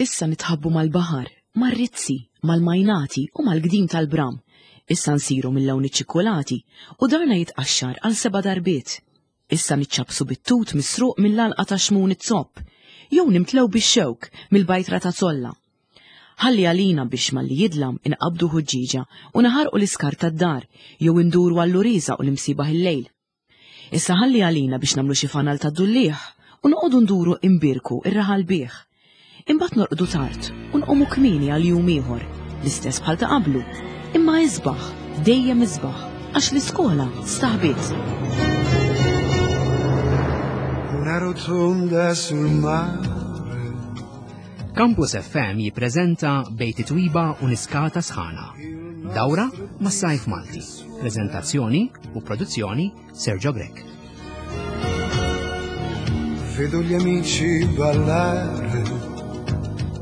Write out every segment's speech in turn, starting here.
Issa nitħabbu mal-baħar, mar-rizzi, mal-majnati u mal-gdim tal-bram. Issa nsiru mill-lawn iċ-ċikkulati u darna jitqaxxar għal seba' darbiet. Issa niċċappsu bit-tut misruq mill-għalqa ta' Xmun iz-Zopp, jew nimtlew bix-xewk mill-bajtra ta' Zolla. Ħalli għalina biex malli jidlam inqabbdu ħuġġieġa u naħarqu l-iskart tad-dar jew induru għall-uriża u l-imsiebaħ il-lejl. Issa ħalli għalina biex nagħmlu xi fanal tad-dulliegħ u noqogħdu nduru imbierku r-raħal bih. Imbagħad norqdu tard u nqumu kmieni għal jum ieħor, l-istess bħal ta' qablu, imma isbaħ, dejjem isbaħ, għax l-iskola staħbiet. Una rotonda sul mare. Campus FM jippreżenta Bejt Twiba u Niskata Sħana. Dawra mas-Sajf Malti. Prezentazzjoni u produzzjoni Sergio Grech. Vedo gli amici ballare.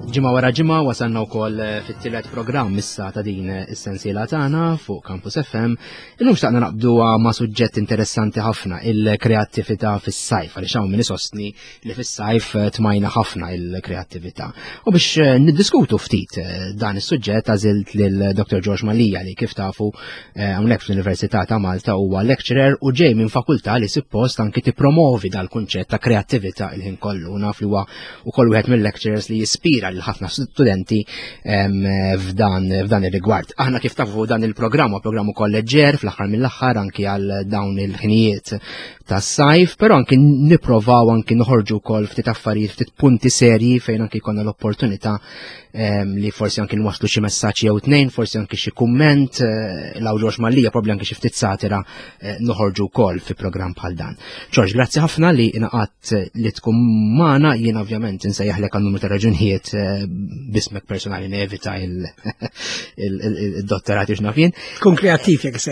Ġimgħa wara ġimgħa wasalna wkoll eh, fit-tielet programm issa ta' din eh, is-sensiela tagħna fuq Campus FM. Illum xtaqna naqbdu ma' suġġett interessanti ħafna, il-kreattività fis-sajf, għaliex hawn min isostni li fis-sajf eh, tmajna ħafna il-kreattività. U biex eh, niddiskutu ftit eh, dan is-suġġett għażilt lil Dr. George Malija li kif tafu hawnhekk fl-Università ta' Malta huwa lecturer u ġej minn fakultà li suppost anki tippromovi dal-kunċett ta' kreattività il-ħin kollu. Naf li huwa ukoll wieħed mill-lecturers li jispira lil ħafna studenti ehm, f'dan f'dan ir-rigward. Aħna kif tafu dan il-programm huwa programm ukoll leġġer fl-aħħar mill-aħħar anki għal dawn il-ħinijiet tas-sajf, però anki nipprovaw anki noħorġu wkoll ftit affarijiet, ftit punti serji fejn anki jkollna l-opportunità ehm, li forsi anki nwasslu xi messaġġ jew tnejn, forsi anki xi kumment, eh, law Ġorġ Mallija probabbli anki xi ftit satira eh, noħorġu wkoll fi programm bħal dan. Ġorġ, grazzi ħafna li ingħaqadt eh, li tkun magħna, jien ovvjament insejjaħlek għal numru ta' raġunijiet bismek personali nevita il-dottorat x'naf jien. Tkun kreattiv jekk se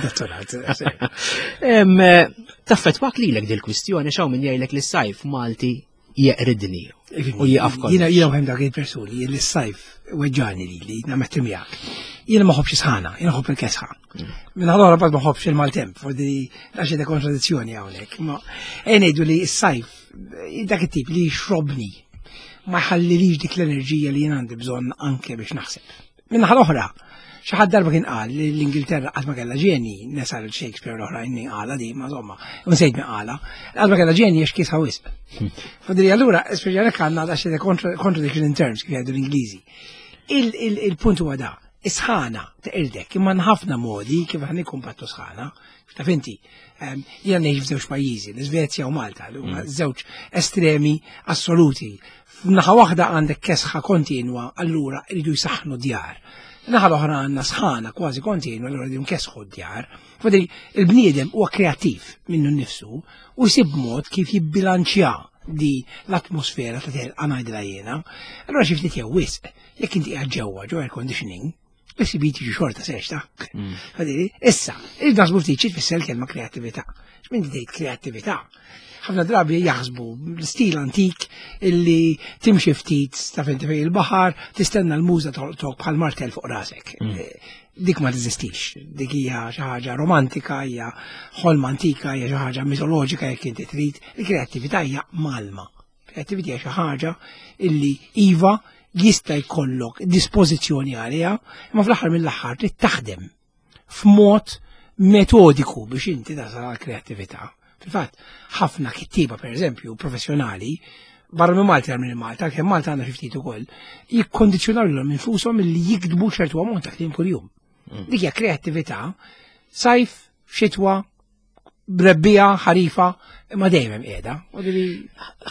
dottorat. Eh, taffetwak lilek dil-kwistjoni xaw min jgħidlek li s-sajf Malti jeqridni u jieqaf kollox. Jiena jiena wieħed dak il-persuni li s-sajf weġġani lili, nammetti miegħek. Jiena ma ħobbx sħana, jiena ħobb il-kesħa. Mm. Minn allora bad ma ħobbx il-maltemp, fordi għax ta' kontradizzjoni hawnhekk. Ma ngħidu li s-sajf dak it-tip li jxrobni ma jħallilix dik l-enerġija li jien għandi bżonn anke biex naħseb. Minnaħa l-oħra, xi ħadd darba kien qal li l-Ingilterra qatt ma kellha ġeni, nesal Shakespeare l-oħrajn qala di, ma insomma, nsejt min qala, qatt ma kellha ġeni għax kiesħa wisq. Hmm. Fadri allura, speċjalment għandna għax contradiction in terms kif jgħidu l-Ingliżi. Il-punt huwa da, is-sħana teqirdek, imma ħafna modi kif aħna nikkumbattu sħana. Taf inti, ehm, jiena ngħix f'żewġ pajjiżi, l-Iżvezja u Malta, li huma hmm. żewġ estremi assoluti F'naħa waħda għandek kesħa kontinwa, allura jridu jsaħħnu djar. Naħa l-oħra għandna sħana kważi kontinwa, allura jridu nkesħu d-djar. Fadri, il-bniedem huwa kreattiv minnu nnifsu u jsib mod kif jibbilanċja di l-atmosfera ta' telqa ngħidilha jiena. Allura xi ftit jew wisq, jekk inti qiegħed ġewwa ġo air conditioning, Is-CB tiġi xorta sex ta' mm. Issa, il-nasbu ftit xi tfisser kelma kreattività. X'min tgħid kreattività? Ħafna drabi jaħsbu l-istil antik illi timxi ftit ta' fejn fejn il-baħar, tistenna l-muża tolqtok bħal martel fuq rasek. Mm. Eh, dik ma teżistix, dik hija xi ħaġa romantika, hija ħolma antika, hija xi ħaġa mitoloġika jekk inti trid, il-kreattività hija malma. Kreattività hija xi ħaġa illi iva jista' jkollok dispożizzjoni għaliha, imma fl-aħħar mill-aħħar trid taħdem f'mod metodiku biex inti tasal għal kreattività. Fil-fatt, ħafna kittieba pereżempju professjonali barra minn Malta minn Malta, kemm Malta għandna xi ftit ukoll, jikkondizzjonaw lilhom infushom li jiktbu ċertu ammont ta' kliem kuljum. Mm. Dik hija kreattività sajf, xitwa, Rebbija, ħarifa, imma dejjem hemm qiegħda.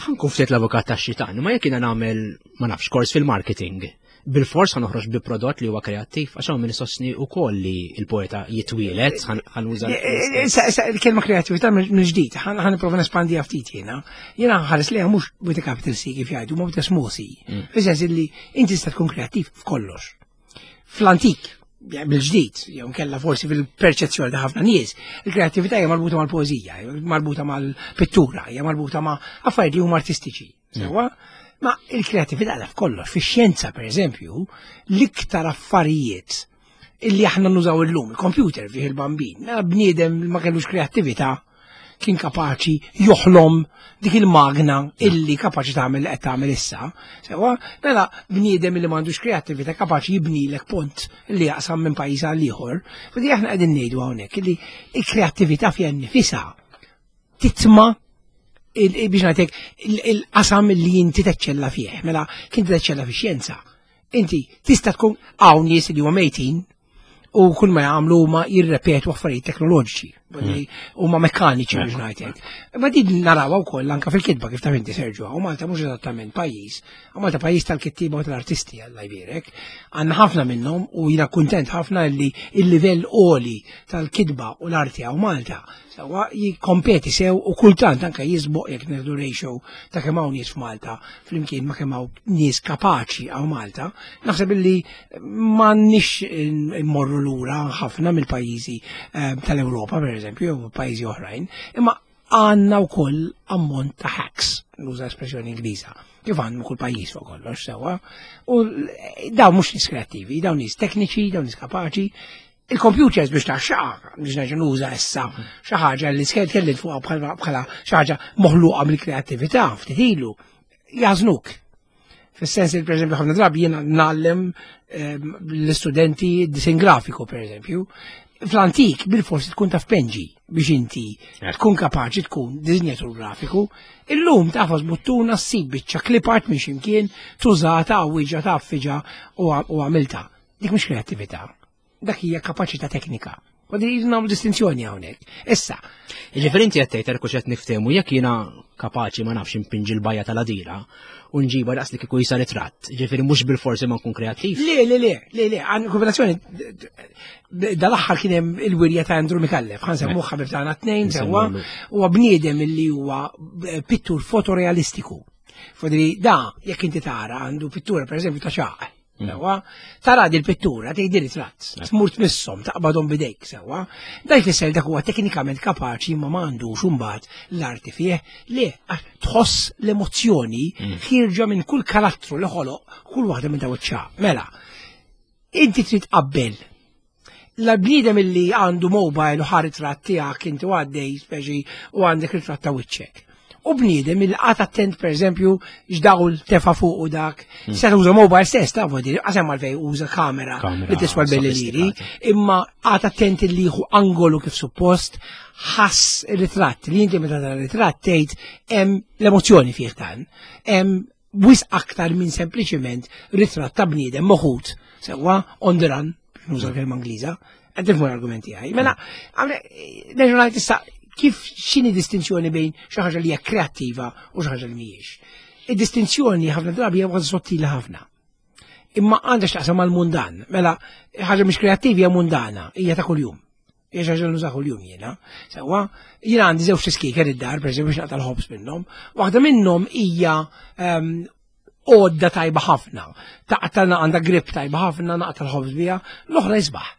Ħankun ftit l-avukat tax-xitan, ma jekk jiena nagħmel ma nafx kors fil-marketing, bil-fors ħanoħroġ bi prodott li huwa kreattiv, għax hawn min isostni wkoll li l-poeta jitwielet, ħanuża. Eh, eh, il-kelma kreattività mill-ġdid, ħan nipprova nespandi ftit jiena. Jiena ħares liha mhux with a capital C kif jgħidu, ma with a small c. Mm. Fis-sens illi inti tista' tkun kreattiv f'kollox. Fl-antik, bil-ġdid, jew kella forsi fil-perċezzjoni ta' ħafna nies, il-kreattività hija marbuta mal-poeżija, marbuta mal-pittura, hija marbuta ma' affarijiet li huma artistiċi. Mm. Sewwa? Ma il-kreattività għadha f'kollox, fix-xjenza pereżempju, l-iktar affarijiet illi aħna nużaw illum, il-computer fih il-bambin, mela bniedem ma kellux kreattività. kien kapaċi joħlom dik il-magna illi kapaċi tagħmel li qed tagħmel issa. Sewa, mela bniedem li m'għandux kreattività kapaċi jibnilek pont li jaqsam minn pajjiż għal ieħor. Fidi aħna qegħdin ngħidu hawnhekk illi l-kreattività fiha nnifisha titma biex ngħidlek il-qasam li inti teċċella fih. Mela kien teċċella fix-xjenza. Inti tista' tkun hawn nies li huma mejtin u kull ma jagħmlu huma jirrepetu affarijiet teknoloġiċi hmm. huma mekkaniċi biex ngħidlek. Ma din narawha wkoll anke fil-kitba kif taf inti Serġu, u Malta mhux eżattament pajjiż, u Malta pajjiż tal-kittiba u tal-artisti Alla jbierek. Għandna ħafna minnhom u jiena kuntent ħafna li il-livell għoli tal-kitba u l-arti hawn Malta Sewwa jikkompeti sew u kultant anke jisboq jekk nieħdu ratio ta' kemm hawn nies f'Malta flimkien ma' kemm hawn nies kapaċi hawn Malta, naħseb illi m'għandniex immorru lura ħafna mill-pajjiżi eh, tal-Ewropa pereżempju jew pajjiżi oħrajn, imma għandna wkoll ammont ta' hacks, nuża espressjoni Ingliża, kif għandna kull pajjiż fuq kollox sewwa. U dawn mhux nies kreattivi, dawn nies tekniċi, dawn nies kapaċi, Il-computers biex taxxaqa, biex nerġa' nuża issa xi ħaġa li tkellimt fuqha bħala xi ħaġa moħluqa mill-kreattività ftit ilu, jażnuk. Fis-sens li pereżempju ħafna drabi jiena ngħallem ehm, l-istudenti disin grafiku pereżempju. Fl-antik bil-forsi tkun taf penġi biex inti tkun kapaċi tkun disinjatur grafiku. Illum tafas buttuna ssib biċċa clip art minn ximkien tużata għawwiġa taffiġa u għamilta. Dik mhux kreattività. Dak hija kapaċità teknika. U din jridu nagħmlu distinzjoni hawnhekk. Issa. Jiġifieri inti qed tgħid erku x'qed niftehmu jekk jiena kapaċi ma nafx impinġi l-bajja tal-għadira u nġiba daqs li kieku jisa ritratt. Jiġifieri mhux bil-forsi ma nkun kreattiv. Le, le, le, le, le, għan kombinazzjoni dal-aħħar kien hemm il-wirja ta' Andrew Mikallef, ħan semmuh ħabib tagħna tnejn sewwa, huwa bniedem illi huwa pittur fotorealistiku. Fodri da, jekk inti tara għandu pittura pereżempju ta' xaq. Mm. Sewwa, tara di l-pittura tgħid ritratt, eh. tmur tmisshom, taqbadhom bidejk sewwa. Da jfisser dak huwa teknikament kapaċi ma m'għandux imbagħad l-arti fih li tħoss l-emozzjoni mm. ħierġa minn kull karattru li ħoloq kull waħda minn daw iċ Mela, inti trid qabbel l-bniedem illi għandu mobile u ħa ritratt tiegħek inti għaddej speċi u għandek ritratt ta' wiċċek. U bniedem illi qagħad attent pereżempju x'dawl tefa' fuq u dak. Hmm. Se tuża mobile stess ta' vodi, qasem għalfej uża kamera li tiswa l-belli liri, imma qagħad attent illi jieħu angolu kif suppost, ħass ritratt li inti meta tara ritratt tgħid hemm l-emozzjoni fih dan, hemm wisq aktar minn sempliċiment ritratt ta' bniedem moħut sewwa on the run, nuża l-kelma Ingliża, qed tifhmu l-argumenti tiegħi. Mela, nerġa' ngħid issa kif x'inhi distinzjoni bejn xi ħaġa li hija kreattiva u xi ħaġa li mhijiex. Id-distinzjoni ħafna drabi hija waħda sottili ħafna. Imma għandha x'taqsam mal-mundan. Mela, ħaġa mhix kreattiva hija mundana, hija ta' kuljum. Hija xi ħaġa nuża kuljum jiena. Sewwa, jiena għandi żewġ tiskiker id-dar, pereżempju biex naqta' l-ħobż minnhom. Waħda minnhom hija ehm, għodda tajba ħafna. Taqta' għandha grip tajba ħafna, naqta' l-ħobż biha, l-oħra isbaħ.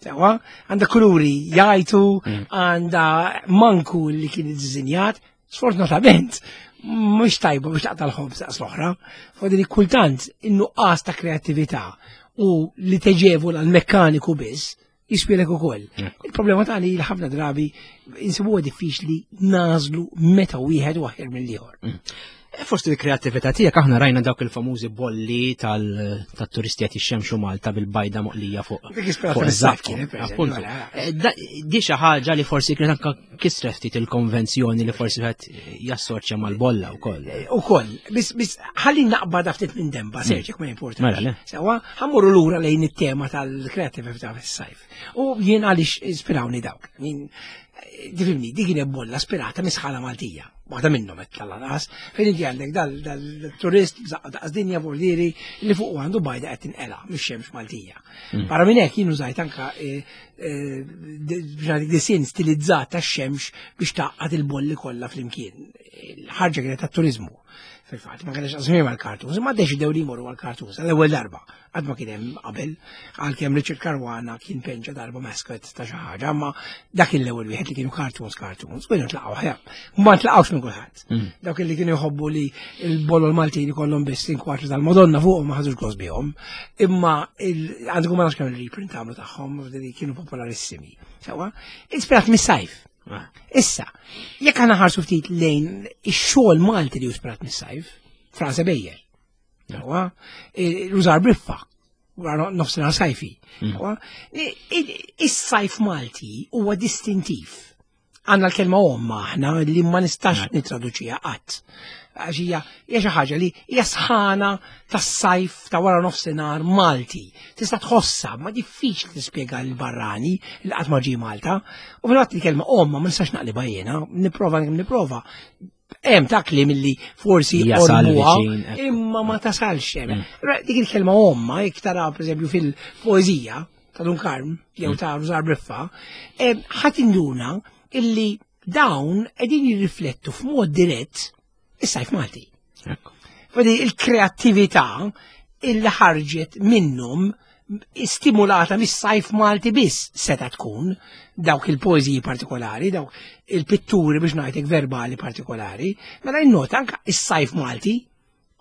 Sewwa, għandha kuluri jgħajtu, mm. għandha manku li kien iddiżinjat, sfortunatament, mhux tajba biex taqta' l-ħobż daqs l-oħra. Fodri kultant in-nuqqas ta' kreattività u li teġevu l-mekkaniku biss, jispjelek ukoll. Il-problema tagħni li ħafna drabi insibuha diffiċli nażlu meta wieħed u aħjar mill-ieħor. Mm. E, fost il-kreattività tiegħek aħna rajna dawk il-famużi bolli tal-turisti qed jixxemxu Malta bil-bajda moqlija fuq. Appuntu. E, di xi ħaġa li forsi kienet anke kisret ftit il-konvenzjoni li forsi qed jassoċja mal-bolla wkoll. Eh, ukoll, biss biss ħalli naqbad ftit minn demba, mm. serġek ma importa. Mela, le. Sewa, ħammurru lura lejn it-tema tal-kreatività fis-sajf. U jien għaliex ispirawni dawk. Jien eh, tifhimni, dik kienet bolla spirata misħala Maltija. Waħda minnhom qed tal-lanqas, fejn inti għandek dal-turist daqs dinja bordieri li fuq għandu bajda qed tinqela mix-xemx Maltija. Mm. Barra minn hekk jien użajt anka eh, eh, biex disin stilizzat tax-xemx biex taqqad il-bolli kollha flimkien. Il-ħarġa kienet tat-turizmu. Fil-fatt, ma kienx qasmi mal-kartuns, ma deċidew li jmorru għal-kartuns għall-ewwel darba. Qatt ma kien hemm qabel, għalkemm Richard Caruana kien penġa darba mascot ta' xi ħaġa, ma dak l-ewwel wieħed li kienu cartoons cartoons, kienu tlaqgħu ħja. Ma tlaqgħux minn kulħadd. Mm. Dawk li kienu jħobbu li l-bolol Maltin ikollhom biss inkwatru tal-Madonna fuqhom ma ħadux gost bihom. Imma għandkom ma nafx kemm il-reprint għamlu tagħhom li kienu popolarissimi. Sewa, ispirat mis-sajf. Ah. Issa, jekk aħna ħarsu ftit lejn ix-xogħol Malti li ispirat mis-sajf, Franz Ebejer, huwa eh, Rużar Briffa, wara nofsinhar sajfi. Mm. Is-sajf Malti huwa distintiv. Għandna l-kelma omma aħna li ma nistax nitraduċiha qatt. Għax hija hija xi ħaġa li hija sħana tas-sajf ta' wara nofsinhar Malti. Tista' tħossha, ma diffiċli tispjega lil barrani li qatt ma ġie Malta. U fil-fatt il-kelma omma ma nistax naqlibha jiena, nipprova nipprova. Hemm ta' kliem li forsi Jasal ormuha, viċin, ekku. imma ma tasalx hemm. Ra, Dik il-kelma omma jekk tara pereżempju fil-poeżija ta' Dun Karm jew ta' Rużar Briffa, ħadd induna illi dawn qegħdin jirriflettu f'mod dirett is-sajf Malti. Ekku. Fadi il-kreattività illi ħarġet minnhom stimulata mis-sajf Malti biss seta tkun dawk il-poeżiji partikolari, dawk il-pitturi biex ngħidlek verbali partikolari, mela innota anka is-sajf Malti,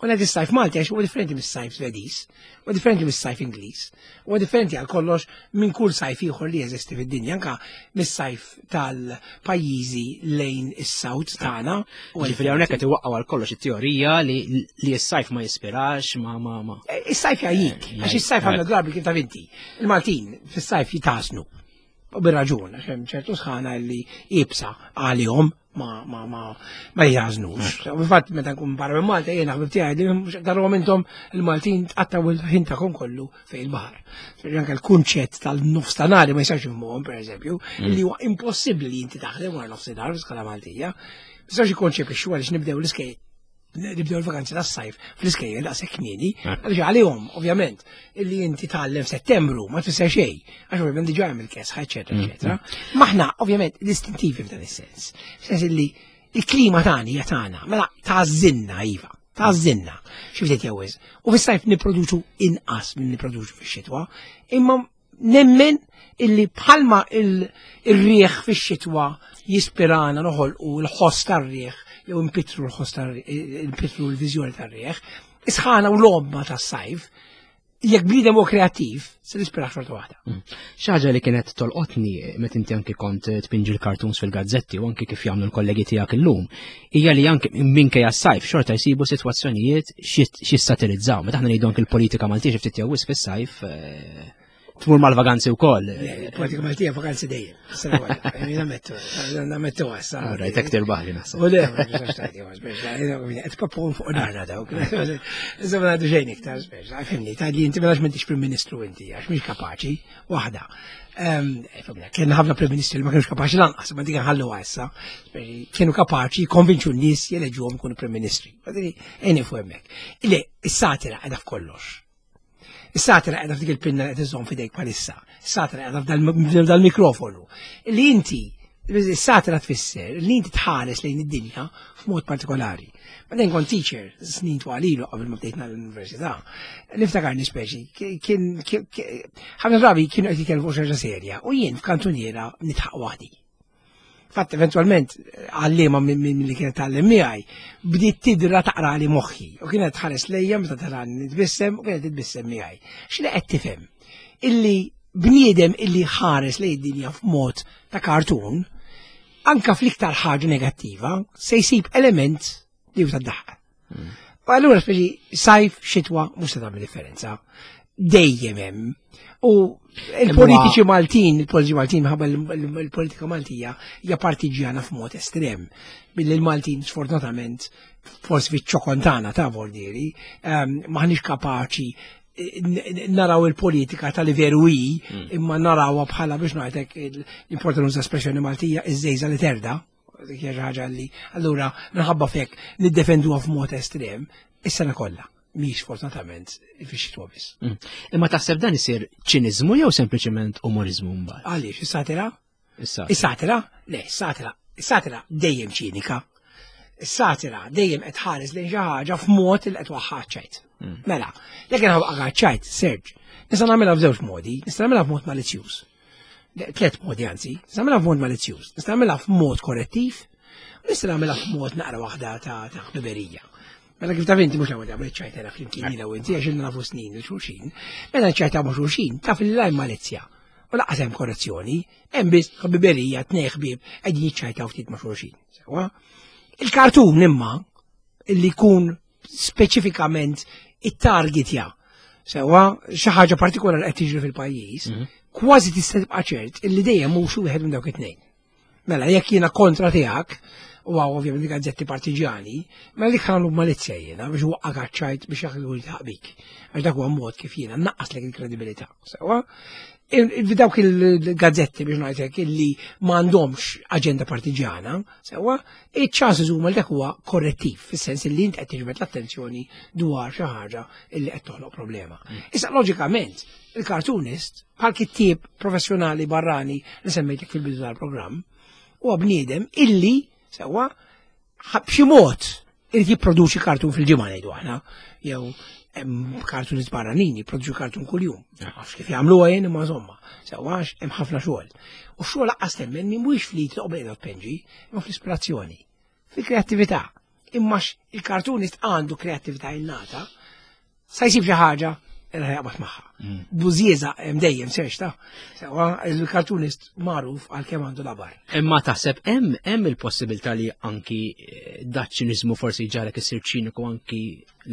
u ngħid is-sajf Malti għax huwa differenti mis-sajf Svediż, huwa differenti mis-sajf Ingliż, huwa differenti għal kollox minn kull sajf ieħor li jeżisti fid-dinja, anka mis-sajf tal-pajjiżi lejn is-South tagħna. Huwa Ġifieri hawnhekk qed iwaqqgħu għal kollox it-teorija li li s-sajf ma jispirax, ma ma ma. Is-sajf jgħajjik, Eh, għax is-sajf għandna jgħajjik. drabi kif taf inti. Il-Maltin fis-sajf jitasnu. U bir-raġun, għax hemm ċertu sħana li ibsa għalihom ma ma ma ma jitażnux. U Fil-fatt meta nkun barra minn Malta jiena ħbib tiegħi li mhux darhom intom il-Maltin tqattaw il-ħin tagħkom kollu fejn il-baħar. Ġifieri Anke l-kunċett tal-nofs ta' nhar ma jistax jifhmuhom pereżempju, li huwa impossibbli li inti taħdem wara nofsinhar fl-iskala Maltija. Ma jistax ikkonċepixxu għaliex nibdew l-iskejjel nibdew il-vakanzi tas-sajf fl-iskejjel daqshekk kmieni, għaliex għalihom ovvjament illi inti tgħallem f'Settembru ma tfisser xejn, għax ovvjament diġà hemm il-kesħa, eċetera, eċetera. Maħna ovvjament distintivi f'dan is-sens. F'sens illi il-klima tagħna hija tagħna, mela tażinna iva, tażinna. Xi ftit jew wisq. U fis-sajf nipproduċu inqas minn nipproduċu fix-xitwa, imma nemmen illi bħalma il-rieħ fix-xitwa jispirana noħolqu l-ħoss tar-rieħ jew impitru l-ħoss tar-rieħ, impitru l-viżjoni tar-rieħ, isħana u l-omma tas-sajf, jekk bniedem huwa kreattiv, se nispira xorta waħda. Xi ħaġa li kienet tolqotni meta inti anki kont tpinġi l-cartoons fil-gazzetti u anki kif jagħmlu l-kollegi tiegħek illum, hija li anki minkejja s-sajf xorta jsibu sitwazzjonijiet xi satirizzaw. Meta aħna ngħidu anki l-politika Maltija xi ftit jew wisq fis-sajf eh, tmur mal-vaganzi wkoll. Politika Maltija vakanzi dejjem. Sena waħda. Nammettu, nammettu għassa. Rajt hekk tirbaħli naħseb. U le, ma nistax tgħidi, ma speċa, qed pappun fuq narna dawk. Insomma ngħidu xejn iktar speċa, fimni, tgħidli inti mela m'intix Prim Ministru inti għax mhix kapaċi, waħda. Ehm, fimni, Kien ħafna Prim Ministri li ma kienux kapaċi lanqas, ma dik nħallu issa. Speċi, Kienu kapaċi jikkonvinċu n-nies jeleġuhom ikunu Prim Ministri. Għadini, ejni fuq hemmhekk. Ile, is-satira qiegħda f'kollox. Is-satira qiegħda f'dik il-pinna li qed iżżomm f'idejk bħalissa. Is-satira qiegħda f'dal-mikrofonu. Li inti is-satira tfisser li inti tħares lejn id-dinja f'mod partikolari. B'dejn kont teacher snin twal ilu qabel ma bdejt l-università. Niftakarni speċi, kien ħafna drabi kienu qed jitkellmu fuq xi ħaġa serja u jien f'kantuniera nidħaq waħdi. Fatt eventualment għallima minn li kienet tgħallem miegħi bdiet tidra taqra li moħħi u kienet tħares lejja meta tara nitbissem u kienet titbissem miegħi. X'li qed tifhem? Illi bniedem illi ħares lejn id-dinja f'mod ta' kartun, anka fl-iktar ħaġa negattiva, se jsib element li hu tad-daħqa. U allura speċi sajf, xitwa, mhux se tagħmel differenza. Dejjem hemm. U il-politiċi Maltin, il-politiċi Maltin minħabba l-politika Maltija hija partiġjana f'mod estrem. Billi l-Maltin sfortunatament forsi fiċ-ċokontana ta' Vordieri, ehm, maħniex kapaċi eh, naraw il-politika tal veru hi, imma narawha bħala biex ngħidlek l-importanza nuża espressjoni Maltija iż-żejża li terda, dik hija xi ħaġa li allura minħabba fek niddefenduha f'mod estrem is-sena kollha mhix fortunatament fix-xitwa biss. Imma taħseb dan isir ċiniżmu jew sempliċement umorizmu mbagħad? Għaliex is-satira? Issa. Is-satira? Le, is-satira, is-satira dejjem ċinika. Is-satira dejjem qed ħares lejn xi ħaġa f'mod li qed waħħa ċajt. Mela, jekk inħabqa ċajt, Serġ, nista' nagħmilha f'żewġ modi, nista' nagħmilha f'mod malizzjuż. Tliet modi anzi, nista' nagħmilha f'mod malizzjuż, nista' nagħmilha f'mod korrettiv, u nista' nagħmilha f'mod naqra waħda ta' ta' ħbiberija. Mela kif taf inti mhux l-ewwel darba li ċajtera flimkien jiena u inti għax ilna nafu snin il xulxin. Mela ċajta ma' xulxin taf li lajn malizzja. U laqas hemm korrezzjoni, hemm biss ħbiberija tnej ħbieb qegħdin jiċċajtaw ftit ma' xulxin. Sewwa? Il-kartun imma illi jkun speċifikament it-targetja sewwa xi ħaġa partikolari qed tiġri fil-pajjiż, mhm. kważi tista' tibqa' ċert illi dejjem mhux wieħed minn dawk it-tnejn. Mela, jekk jiena kontra tiegħek, u għaw ovvjament gazzetti partiġjani, mela dik ħanlu malizzja jiena biex waqqa kaċċajt biex jaħdu li bik. Għax dak huwa mod kif jiena naqqaslek il-kredibilità. Sewa, dawk il-gazzetti biex ngħidlek illi m'għandhomx aġenda partiġjana, sewa, iċ-ċanses huma li dak huwa korrettiv, fis-sens illi int qed tiġbed l-attenzjoni dwar xi ħaġa illi qed toħloq problema. Mm. Issa loġikament, il-cartoonist bħal kittieb professjonali barrani li semmejtek fil-bidu tal-programm, huwa bniedem illi sewwa b'xi mod irid jipproduċi kartun fil-ġimgħa ngħidu aħna, jew hemm kartun barranin jipproduċu kartun kuljum. Nafx kif jagħmluha jien imma insomma, sewwa hemm ħafna xogħol. U xogħol laqqas temmen mhuwiex fli toqgħod tpenġi, imma fl-ispirazzjoni, fil-kreattività. Imma il-kartunist għandu kreattività innata, sa jsib xi ħaġa li jaqbad magħha. Mm. Bużieża hemm dejjem serx ta' sewa il-kartunist magħruf għal kemm għandu labar. Imma taħseb hemm hemm il-possibilità li anki eh, daċ-ċiniżmu forsi ġarek isir ċiniku anki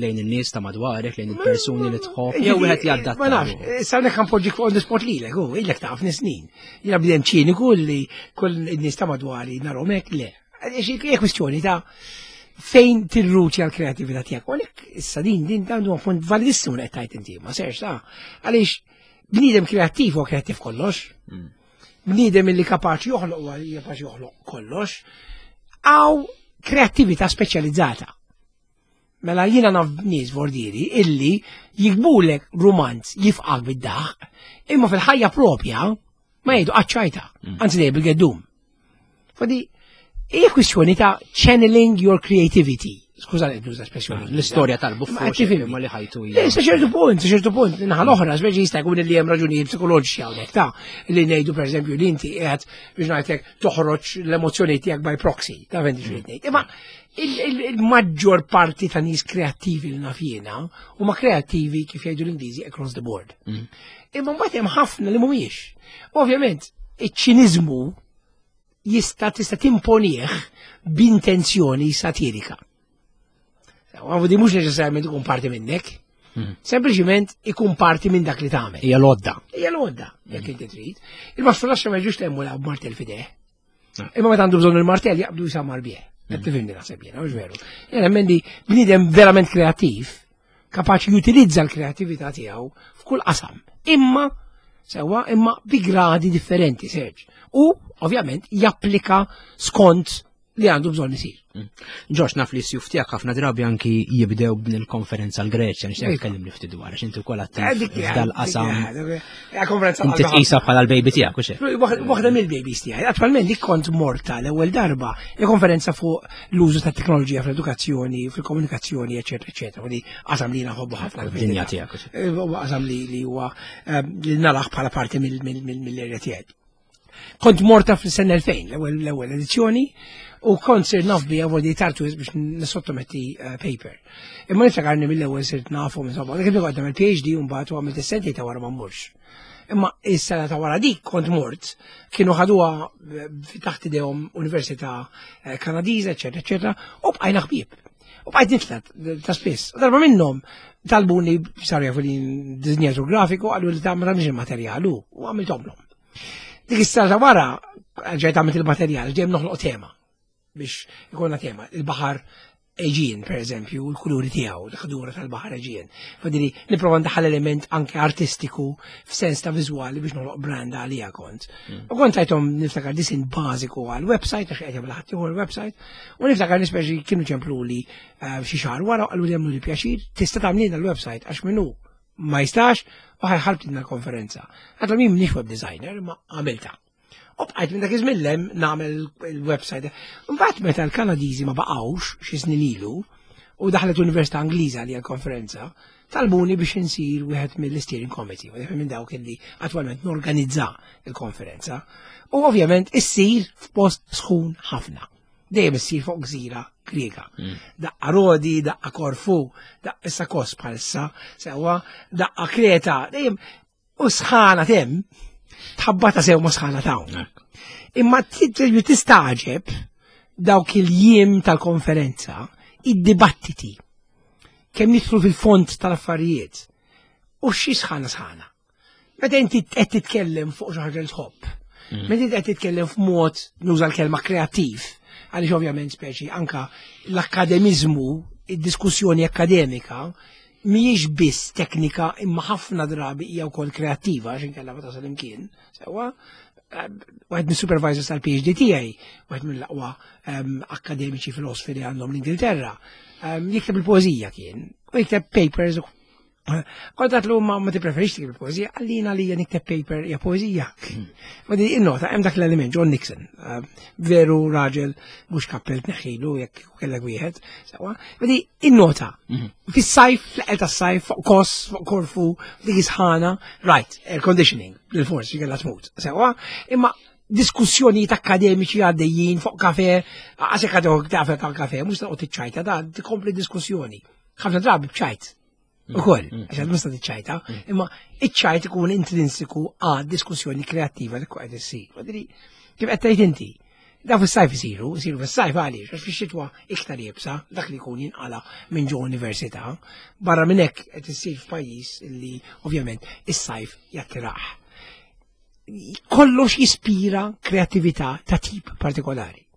lejn in-nies ta' madwarek, lejn il-persuni li tħobb, jew wieħed jaddatta. Ma nafx, eh, sa hawnhekk ħanpoġġik fuq on the spot lilek, u ilek taf snin. Jiena bdejjem ċiniku li kull in-nies ta' madwari narhom hekk le. Hija kwistjoni ta' fejn tirruċi għal kreatività tiegħek. U għalhekk issa din din dan huwa punt validissimu li qed tgħid inti, ma serx ta' għaliex bniedem kreattiv huwa kreattiv kollox. Mm. Bniedem illi kapaċi joħloq huwa kapaċi joħloq kollox. Għaw kreattività speċjalizzata. Mela jiena naf nies vordieri illi jikbulek rumanz jifqak bid-daħq, imma fil-ħajja propja ma jgħidu qaċċajta, mm. anzi dejjem bil-geddum. Fadi, hija kwistjoni ta' channeling your creativity. Skuża li nuża espressjoni. L-istorja tal-buffu ma li ħajtu hija. Sa ċertu punt, sa ċertu punt, naħa l-oħra, speċi jista' jkun li hemm raġunijiet psikoloġiċi hawnhekk ta' li ngħidu pereżempju li inti qiegħed biex ngħidlek toħroġ l-emozzjoni tiegħek by proxy, ta' vendi xi ngħid. Imma il-maġġor parti ta' nies kreattivi li naf jiena huma kreattivi kif jgħidu l-Ingliżi across the board. Mm. Imma mbagħad hemm ħafna li mhumiex. Ovvjament, iċ-ċiniżmu jista' tista' timponih b'intenzjoni satirika. Għavu di mhux neċessarjament ikun parti minnek, mm. sempliċiment ikun parti minn dak li tagħmel. Hija l-għodda. Hija l-għodda, jekk mm. inti trid. Il-mastru laxxa ma jġux temmu laqgħu martel fideh. Imma meta għandu bżonn il-martell jaqbdu jisamar bih. Qed mm. tifhimni naħseb jiena, mhux veru. Jien nemmen li bniedem verament kreattiv, kapaċi jutilizza l-kreattività tiegħu f'kull qasam. Imma sewa imma bi gradi differenti, Serġ. U ovvjament japplika skont li għandu bżonn isir. Mm. Ġox, naf li s-sjuf tiegħek ħafna drabi anki jibdew b'din il-konferenza l-Greċja, nixtieq iva. tkellimni ftit dwar għax inti wkoll attiv eh, f'dal-qasam. Konferenza Inti tqisha bħala l-baby tiegħek u xejn. Waħda mill-babies tiegħi. Attwalment dik kont morta l-ewwel darba il-konferenza fuq l-użu ta' teknoloġija fl-edukazzjoni, fil-komunikazzjoni, eċetera, eċetera. Di qasam li naħobbu ħafna. Dinja tiegħek. Eh, qasam li huwa eh, li naraħ bħala parti mill-erja tiegħi. Kont morta fil-sena 2000, l-ewwel edizzjoni, u kont sir naf bija vodi tartu biex nisottometti eh, paper. Imma niftakarni mill-ewwel sirt nafu insomma, dik kont nagħmel PhD u mbagħad u għamilt is-sentej ta' wara ma mmurx. Imma is-sena ta' wara dik kont mort, kienu ħaduha eh, taħt idejhom Università eh, Kanadiża, eċetera, eċetera, u bqajna ħbieb. U bqajt nitla ta' spiss. Darba minnhom talbuni saru jafu li dizinjatur grafiku għallu li ta' ma tagħmilx il-materjal u għamilthomlhom. Dik is-sena ta' wara ġejt għamilt il-materjal, ġejjem noħloq tema biex ikonna tema. Il-baħar Eġin, per eżempju, l-kuluri tiegħu, l-ħdura tal-baħar Eġin. Fadili, nipprova ndaħħal element anke artistiku f'sens ta' viżwali biex noħloq brand għalija kont. Mm. U kont tajthom niftakar disin bażiku għal website għax qed jagħmel ħadd ieħor website, u niftakar nispeċi kienu ċempluli eh, xi xahar wara qalu li jagħmlu li pjaċir, tista' tagħmlilna l-website għax minnu ma jistax u ħajħalbtilna l-konferenza. Għadha min mniex web designer, ma għamilta. U bqajt minn dak iż-żmien lem nagħmel il-website. Mbagħad meta l-Kanadiżi ma baqgħux xi snin ilu u daħlet Università Ingliża li l-konferenza, talbuni biex insir wieħed mill-steering committee, wieħed minn dawk illi attwalment norganizza il-konferenza. U ovvjament issir f'post sħun ħafna. Dejjem issir fuq gżira Griega. Mm. Daqqa Rodi, daqqa Korfu, daqqa issa Kos bħalissa, sewwa, daqqa Kreta, dejjem u sħana tem. Tħabbata sew ma sħana ta' Imma tistaġeb dawk il-jiem tal-konferenza, id-dibattiti, kemm jidħlu fil-fond tal-affarijiet u xi sħana sħana. Meta inti qed titkellem fuq xi ħaġa li tħobb, mm. meta inti qed titkellem f'mod nuża l-kelma kreattiv, għaliex ovvjament speċi anka l-akkademiżmu, id-diskussjoni akkademika, mhijiex biss teknika imma ħafna drabi hija wkoll kreattiva għax inkella ma tasal imkien. Sewwa, eh, wieħed mis-supervisors tal-PhD tiegħi, wieħed mill-aqwa ehm, akademiċi filosofi li għandhom l-Ingilterra, ehm, jikteb il-poeżija kien, u jikteb papers Kont għatlu ma ma tippreferix tikteb il-poeżija, għallina li nikteb paper hija poeżija. Hmm. Ma di innota hemm dak l-element John Nixon, eh, veru raġel mhux kappell tneħħilu jekk kellek wieħed, sewwa. Ma di innota hmm. fis-sajf, fl-eqel tas-sajf, fuq kos, fuq Korfu, dik isħana, right, air conditioning, bil-fors kellha tmut, sewwa. Imma diskussjonijiet akademiċi għaddejjin fuq kafe, għasek għadok taf tal-kafe, mhux taqgħod tiċċajta, da tkompli diskussjoni. Ħafna drabi bċajt. Mm. Ukoll, mm. għax għad musta tiċċajta, mm. imma iċ-ċajt ikun intrinsiku għad diskussjoni kreattiva li qed issir. Madri, kif qed tgħid inti, da fis-sajf isiru, isiru fis-sajf għaliex, għax fix-xitwa iktar jibsa, dak li jkun jinqala minn ġo università, barra minn hekk qed issir f'pajjiż li ovvjament is-sajf jattirah. Kollox jispira kreattività ta' tip partikolari.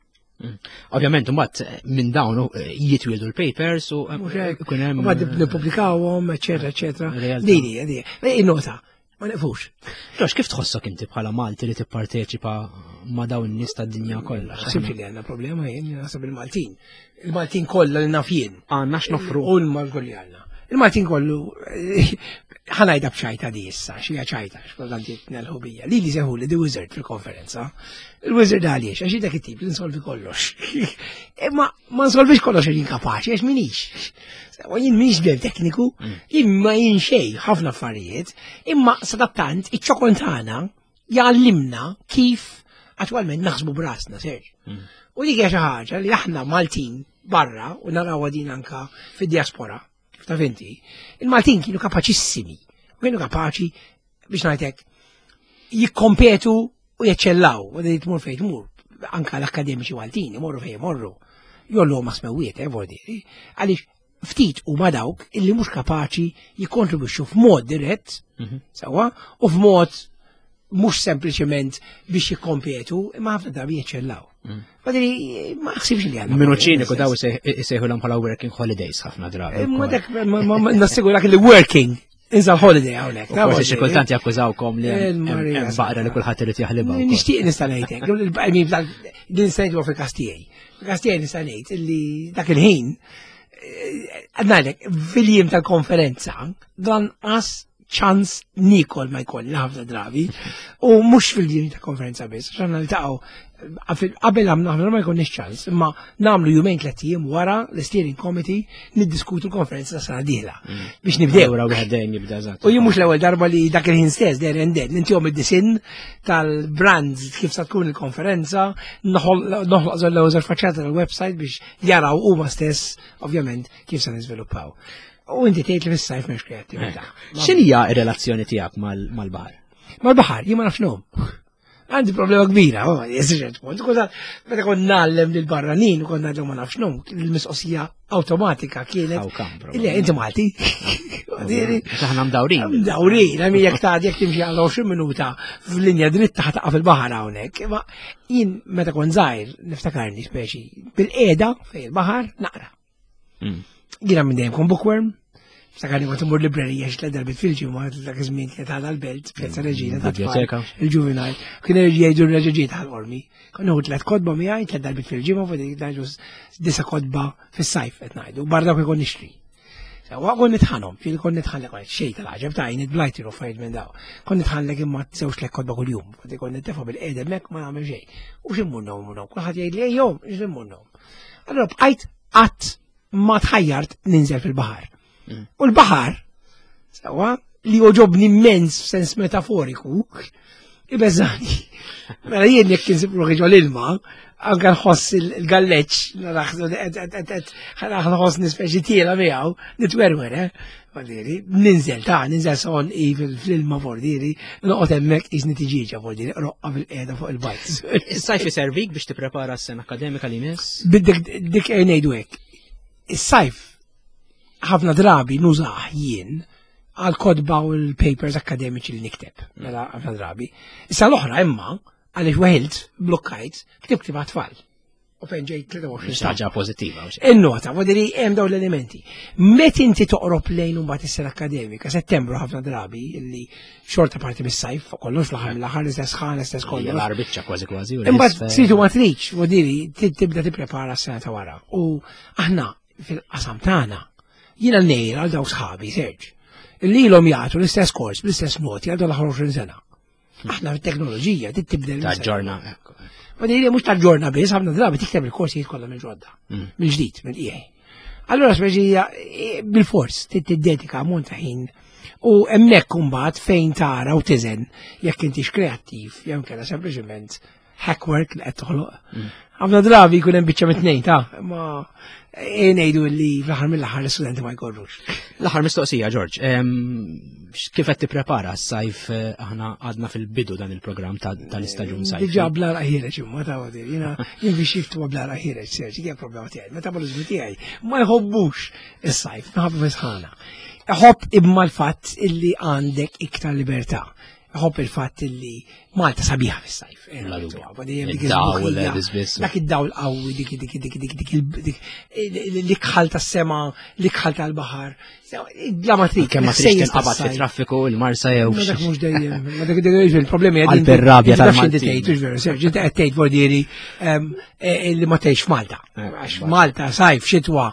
Mm. Ovvjament, mbagħad eh, minn dawn eh, jitwieldu l-papers u eh, ikun hemm. Mbagħad nippubblikawhom, eċetera, eċetera. Dini, dini. Innota, ma nifux. Jox, kif tħossok inti bħala Malti li tipparteċipa ma' dawn in-nies tad-dinja kollha? Naħsibx li għandna problema jien, naħseb il-Maltin. Il-Maltin kollha li naf jien. Għandna x'nofru. U l-Maltin li għandna. Il-Maltin kollu ħanajda b'ċajta di issa, xija ċajta, xkultant jitnelħu bija. Li li seħu li di wizard fil-konferenza. Il-wizard għaliex, għax dak it-tip li nsolvi kollox. Imma ma nsolvix kollox għax kapaċi, għax minix. U jien minix bel tekniku, mm. jien ma jien xej ħafna affarijiet, imma sadattant iċ-ċokon tagħna jgħallimna kif attwalment naħsbu brasna, serġ. Mm. U dik hija xi ħaġa li aħna Maltin barra u narawha din anka fid-diaspora kif taf inti, il-Maltin kienu kapaċissimi, u kienu kapaċi biex ngħidlek jikkompetu u jeċċellaw, u di tmur fejn tmur, anka l-akademiċi Maltin imorru fejn imorru, jollu ma smewiet, eh, vordi, għaliex ftit huma dawk illi mhux kapaċi jikkontribwixxu f'mod dirett, mhm. sewwa, u f'mod mhux sempliċement biex jikkompetu, imma ħafna drabi jeċċellaw. Mm. Madri, ma ħsibx li għandna. Minu ċiniku daw isejħu l bħala working holidays ħafna drabi. Ma dak, nassigurak li working Inza holiday hawnhekk. Forsi xi kultant jakkużawkom li hemm baqra li kulħadd irid jaħlibha. Nixtieq nista' ngħidlek, din nista' ngħidu fil-każ tiegħi. Fil-każ tiegħi nista' ngħid illi dak il-ħin eh, għadnalek, fil-jiem tal-konferenza, dan qas ċans nikol ma jkolli ħafna drabi u mhux fil-jiem ta' konferenza biss, għax għandna niltaqgħu qabel għamna ħafna ma jkollniex ċans, imma nagħmlu jumejn tliet ijiem wara l-steering committee niddiskutu l-konferenza ta' sena dieħla mm. biex nibdew. Wara wieħed dejjem jibda eżatt. U jien mhux l-ewwel darba li dak il-ħin stess there and then intihom id-disin tal-brands kif sa tkun il-konferenza, noħloq l-ewwel faċċata tal-website biex jaraw huma stess ovvjament kif se niżviluppaw. U inti tgħid li fis-sajf m'hemmx kreattività. X'inhija r-relazzjoni tiegħek mal-baħar? Mal-baħar, jien ma nafx nom. Għandi problema kbira, oh, jeżiġet kont. Kont meta kont nagħllem lil barranin u kont ngħidlhom ma nafx nom, il-mistoqsija awtomatika kienet. Ile, inti Malti. Aħna mdawrin. Mdawrin, għami jek ta' jek timxi għal 20 minuta f'linja dritta ħataqa fil-baħar hawnhekk. Ma jien meta kont żgħir niftakarni speċi bil-qiegħda fejn il-baħar naqra. Mm. Jiena minn dejjem kon bookworm, Sakarni kont imur librerija xi tliet darbit fil-ġimgħa dak iż-żmien kienet għadha l-belt, Pjazza mm, Reġina ta' biblioteka. Il-ġuvinal. Kien jgħidu r-reġiġiet tal-qormi. Kont nieħu tliet kotba miegħi tliet darbit fil-ġimgħa fuq dik ngħidu disa kotba fis-sajf qed ngħidu, barra dawk ikun nixtri. Sewwa kont nitħanhom, fil kont nitħanlek xejn tal-għaġeb ta' għajn blajti u affarijiet minn daw. Kont nitħanlek imma żewġ tliet kotba kuljum, kont nittefa' bil-qedem hekk ma nagħmel xejn. U x'immur nagħmlu, kulħadd jgħid li ejjom, x'immur Allura bqajt qatt ma tħajjart ninżel fil-baħar. Mm. U l-baħar, sewa, li oġobni immens f'sens metaforiku, ibeżani. Mela jien jekk insib ruħi ġol ilma, Anka nħoss il-galleċ, nħoss nispeċi tiela miegħu, nitwerwer, eh? Vordiri, ninżel ta' ninżel son i fil-ilma vordiri, noqgħod hemmhekk iżni tiġiġa vordiri, roqqa fil-qiegħda fuq il-bajt. Is-sajf iservik biex tipprepara s-sena akademika li miss? Biddek dik ngħidu hekk. Is-sajf ħafna drabi nużah jien għal kodba u l-papers akademiċi li nikteb, mela ħafna drabi. Issa l-oħra imma, għaliex weħilt, blokkajt, ktibt ktieb għat-tfal. U fejn ġejt 23 sena. Ħaġa pożittiva. In-nota, vodiri hemm dawn l-elementi. Met inti toqrob lejn imbagħad is-sena akademika, Settembru ħafna drabi illi xorta parti mis-sajf, fuq kollox fl-aħħar mill-aħħar l-istess ħan, l-istess kollox. L-arbiċċa kważi kważi. Imbagħad tridu ma tridx, vodiri tibda tipprepara s-sena ta' wara. U aħna fil-qasam tagħna jiena ngħir għal dawk sħabi, Serġ, li ilhom jagħtu l-istess kors bl-istess noti għal dawn l-aħħar 20 sena. Aħna fit-teknoloġija trid tibdel. Taġġorna. Ma dejjem mhux taġġorna biss, ħafna drabi tikteb il-korsijiet kollha minn ġodda, mill-ġdid, mill-qiegħ. Allura speċija bil-fors trid tiddedika ammont ta' ħin u hemmhekk imbagħad fejn tara u tiżen jekk intix kreattiv jew inkella sempliċement hackwork li qed toħloq. Ħafna drabi jkun hemm biċċa mit-tnejn ta' ma ngħidu li fl-aħħar mill-aħħar l-istudenti ma jkorrux. L-aħħar mistoqsija, Ġorġ, kif qed tipprepara s-sajf aħna għadna fil-bidu dan il-programm tal-istaġun sajf? Diġà bla ħireġ imma ta' għodir, jiena jien biex jiftu bla ħireġ, Serġi, hija problema tiegħi, metabolizmu tiegħi ma jħobbux is-sajf, minħabba fisħana. Iħobb imma l-fatt illi għandek iktar libertà. Iħobb il-fatt illi Malta sabiħa fis-sajf. Id-dawl, Dak id-dawl qawwi, dik dik dik dik dik dik l-ikħal tas-sema, l-ikħal tal-baħar. Bla ma trid. Kemm ma tridx tinqabad fit-traffiku il-Marsa jew. Ma dak mhux dejjem. Ma dak dejjem il-problemi qegħdin. Għal-rabja tal-Malti. Tgħid, veru, Serġi, inti qed tgħid vordieri li ma tgħix f'Malta. Għax Malta sajf, xitwa,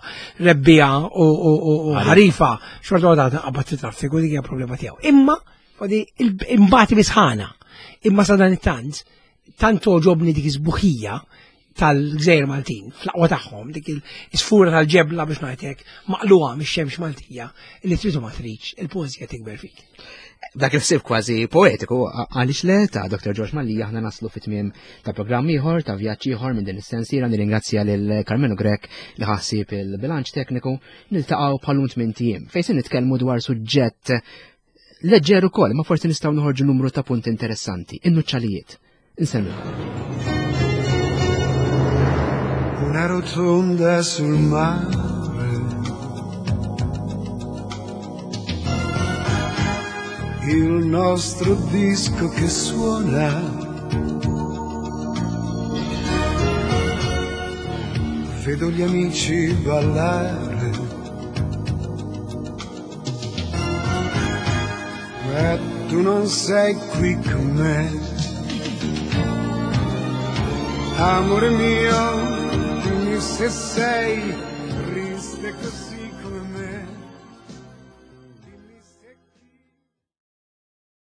rebbija u ħarifa, xorta waħda tinqabad fit-traffiku dik hija problema tiegħu. Imma imbagħad bisħana. Imma sa dan it-tant, tant toġobni dik iż-sbuħija tal-Gżejjer Maltin, fl-aqwa tagħhom, dik il-sfura tal-ġebla biex ngħidlek, maqluha mix-xemx Maltija, li trid u ma tridx, il-poeżija tikber fik. Dak il-ħsieb kważi poetiku, għaliex le ta' Dr. George Mallia aħna naslu fit-tmiem ta' programm ieħor, ta' vjaġġ ieħor minn din is-sensiela. Nirringrazzja lil Karmenu Grech li ħassib il-bilanċ tekniku. Niltaqgħu bħalun tmien ijiem fejn se nitkellmu dwar suġġett leġġer ukoll, ma forsi nistgħu noħorġu numru ta' punti interessanti, in-nuċċalijiet. Insemmi. Una rotonda sul mare. Il nostro disco che suona. Vedo gli amici ballare. Ma tu non sei qui con me. Amore mio, dimmi se sei